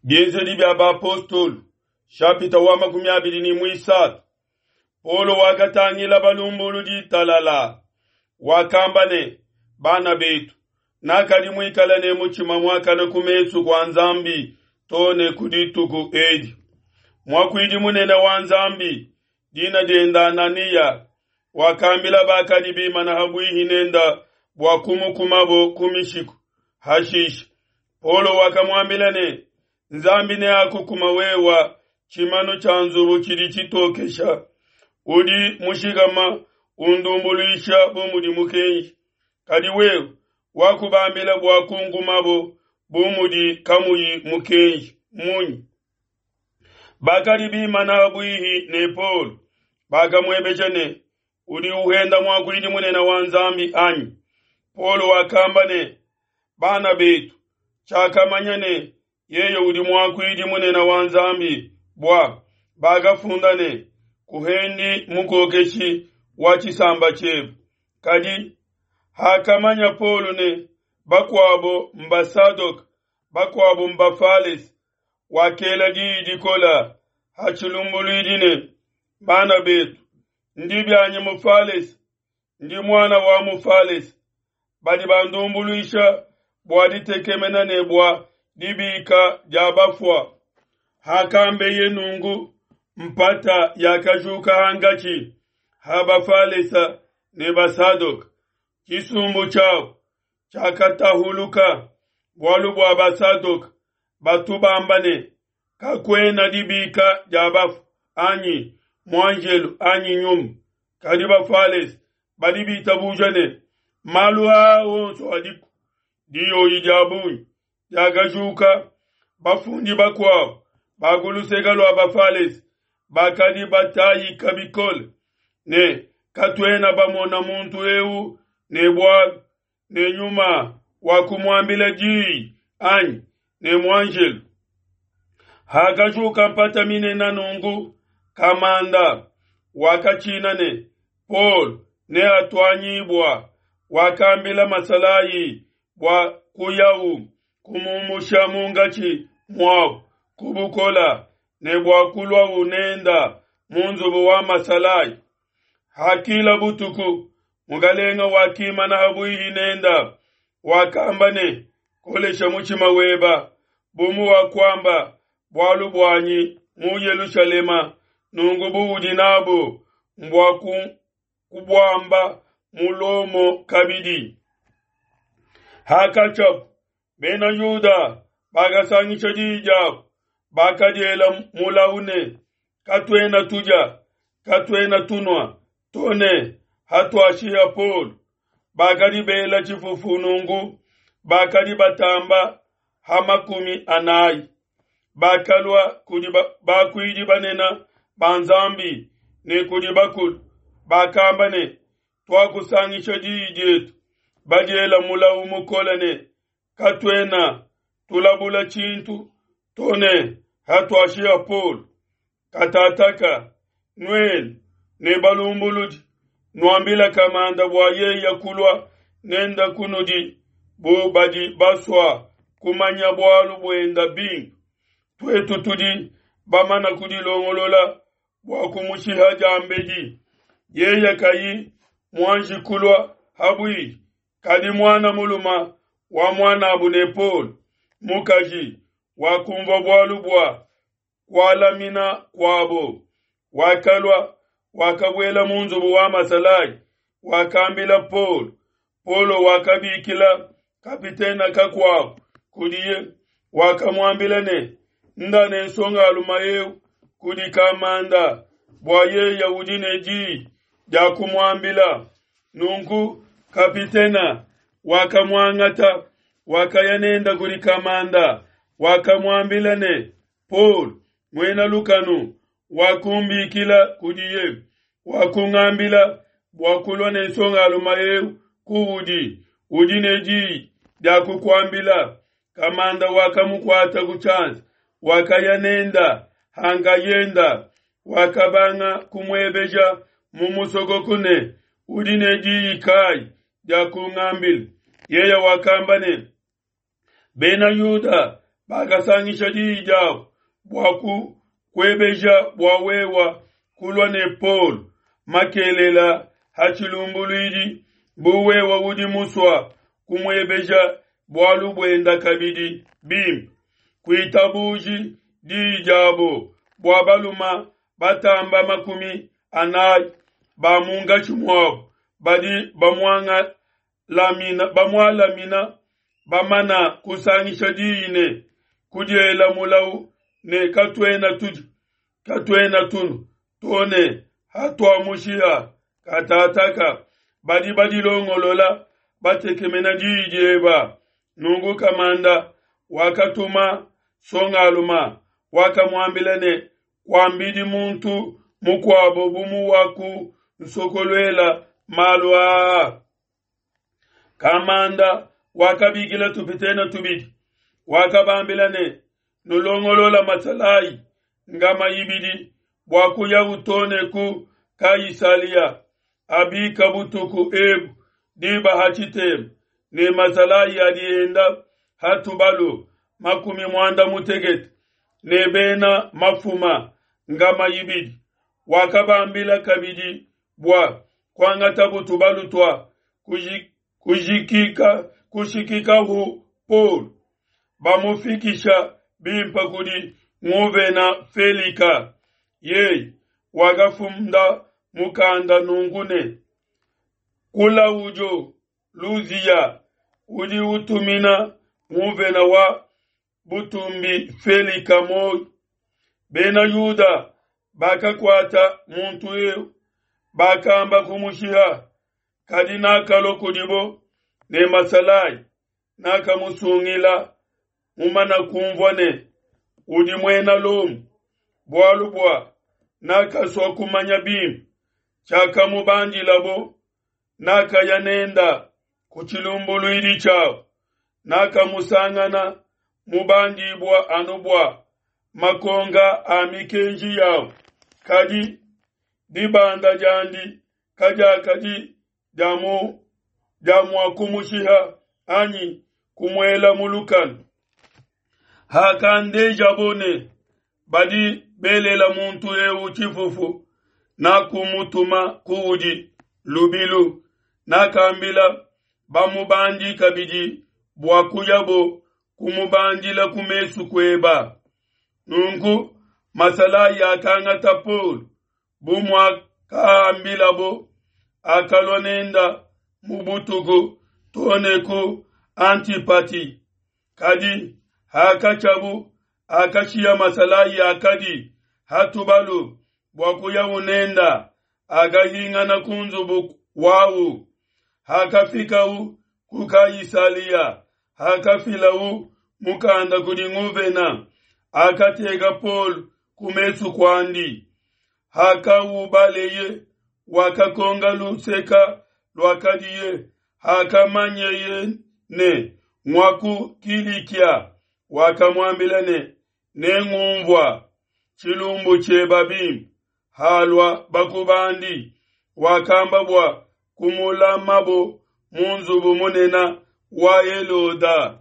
Bienzedi bia Bapostolo, shapita wa 23. Paulo wakatangila balumbuludi talala, wakamba ne, Bana betu, nakadi muikale ne mutshima muakane ku mesu kua Nzambi too ne ku dituku edi. Muakuidi munene wa Nzambi, dina diende Ananiya, wakambila bakadi bimana ha buihi nenda bua kumukumabo ku mishiku. Hashishe Paulo wakamuambila ne, Nzambi neakukuma wewa tshimanu tshia nzubu tshidi tshitokesha, udi mushikama undumbuluisha bu mudi mukenji, kadi wewe wakubambila bua kunkumabo bu mudi kamuyi mukenji munyi? Bakadi bimana buihi ne Paulo bakamuebeja ne, Udi uhenda muakuidi munene wa Nzambi anyi? Paulo wakamba ne, Bana betu, tshiakamanya ne yeye udi muakuidi munene wa Nzambi, bua bakafunda ne, Kuhendi mukokeshi wa tshisamba tshiebe. Kadi hakamanya Paulo ne bakuabo mbasadoke, bakuabo mbafalese, wakela diyi dikola ha tshilumbuluidi ne, Bana betu, ndi bianyi mufalese, ndi muana wa mufalese. Badi bandumbuluisha bua ditekemena ne bua dibika dia bafua. Hakambeye nunku, mpata yakajuka hankatshi ha Bafalesa ne Basadoke. Tshisumbu tshiabo tshiakatahuluka, bualu bua Basadoke batu bamba ne, Kakuena dibika dia bafue, anyi muanjelu, anyi nyuma. Kadi Bafalese badi bitabuja ne, malu aa onso adiku. Diyoyi dia bungi diakajuka. Bafundi bakuabu ba ku luseke lua Bafalese bakadi batayika bikole ne, Katuena bamona muntu eu ne bualu, ne nyuma wa kumuambila diyi anyi ne muanjelu. Hakajuka mpata minene nunku, kamanda wakatshina ne Paul neatuanyibua, wakambila masalayi bua kuyawu kumumusha munkatshi muabu ku bukola ne bua kuluawu nenda mu nzubu wa masalayi. Hakila butuku, mukalenga wakimana habuihi nenda, wakamba ne, Kolesha mutshima weba, bu muwakuamba bualu buanyi mu Yelushalema, nunku buudi nabu mbua kubuamba mu Lomo kabidi. Hakatshiabu, Bena Yuda bakasangisha diyi diabu, bakadiela mulau ne, Katuena tudia, katuena tunua, to ne hatuashiha Paulo. Bakadi bela tshifufu nunku, bakadi batamba ha 40. Bakalua kudi bakuidi banene ba Nzambi ne kudi bakulu, bakamba ne, Tuakusangisha diyi dietu, badiela mulau mukole ne, Katuena tulabula tshintu to ne hatuashiha Paulo. Katataka nuenu ne balumbuludi nuambila kamanda bua yeya kulua nenda kunudi bu badi basua kumanya bualu buenda bimpe. Tuetu tudi bamana kudilongolola bua kumushiha diambedi, yeye kayi muanji kulua habuihi. Kadi muana muluma wa muanabu ne Paulo mukaji wakumvua bualu bua kualamina kuabo, wakalua, wakabuela mu nzubu wa masalayi, wakambila Paulo. Paulo wakabikila kapitena kakuabu kudiye, wakamuambila ne, Nda ne nsongaluma eu kudi kamanda, bua yeye udi ne diyi dia kumuambila. Nunku kapitena wakamuangata, wakaya nenda kudi kamanda, wakamuambila ne, Paul, muena lukanu, wakumbikila kudiye, wakungambila bua kulua ne nsongaluma eu kuudi, udi ne diyi dia kukuambila. Kamanda wakamukuata ku tshianza, wakaya nenda hankayenda, wakabanga kumuebeja mu musokoko ne, Udi ne diyi kayi dia kungambila? Yeye wakamba ne, Bena Yuda bakasangisha diyi diabu bua kukuebeja bua wewa kulua ne Paulo makelela ha tshilumbuluidi, bu wewa udi musua kumuebeja bualu buenda kabidi bimpe. Kuitabuji diyi diabo bua baluma batamba 40 ba munkatshi muabu badi bamualamina bamana kusangisha diyi ne kudiela mulawu ne katuena tudi katuena tunu to ne hatuamushiha katataka badi badilongolola batekemena diyi dieba. Nunku kamanda wakatuma songaluma wakamuambila ne kuambidi muntu mukuabo bu muwaku nsokoluela malu aa. Kamanda wakabikila tupitene tubidi wakabambila ne nulongolola masalayi ngama ibidi bua kuya utone ku Kaisalia abika butuku ebu diba hatshitema ne masalayi adi enda hatubalu 60 ne bena mafuma ngama ibidi. Wakabambila kabidi bua kuangata butubalu tua kushikikahu Paul bamufikisha bimpa kudi nguvena Felika. Yeye wakafunda mukanda nunku ne Kulaudio Luzia udi utumina nguvena wa butumbi Felika moi. Bena Yuda bakakuata muntu eu bakamba kumushiha, kadi nakalua kudibo ne masalayi nakamusungila mumana kumvua ne udi muena Lomo, bualu bua nakasua kumanya bimpe tshiakamubandilabo. Nakaya nenda ku tshilumbuluidi tshiabo, nakamusangana mubandibua anu bua makonga a mikenji yabo, kadi dibanda diandi kadiakadi dia mua kumushiha anyi kumuela mu lukanu. Hakandejabo ne badi belela muntu eu tshifufu, nakumutuma kuudi lubilu. Nakambila bamubandi kabidi bua kuyabo kumubandila ku mesu kueba. Nunku masalayi akangata Paul bu muakaambilabo, akalua nenda mu butuku tone ku Antipati. Kadi hakatshiabu akashiya masalayi akadi hatubalu bua kuya unenda, akahingana ku nzubu wawu. Hakafikau ku Kaisalia, hakafilau mukanda kudi nguvena, akateka Paul ku mesu kuandi. Hakaubaleye wakakonga luseka luakadiye, hakamanyeye ne ngwaku Kilikia, wakamuambila ne nengumvua tshilumbu tshieba bimpe. Halua bakubandi, wakamba bua kumulamabo mu nzubu munene wa Heloda.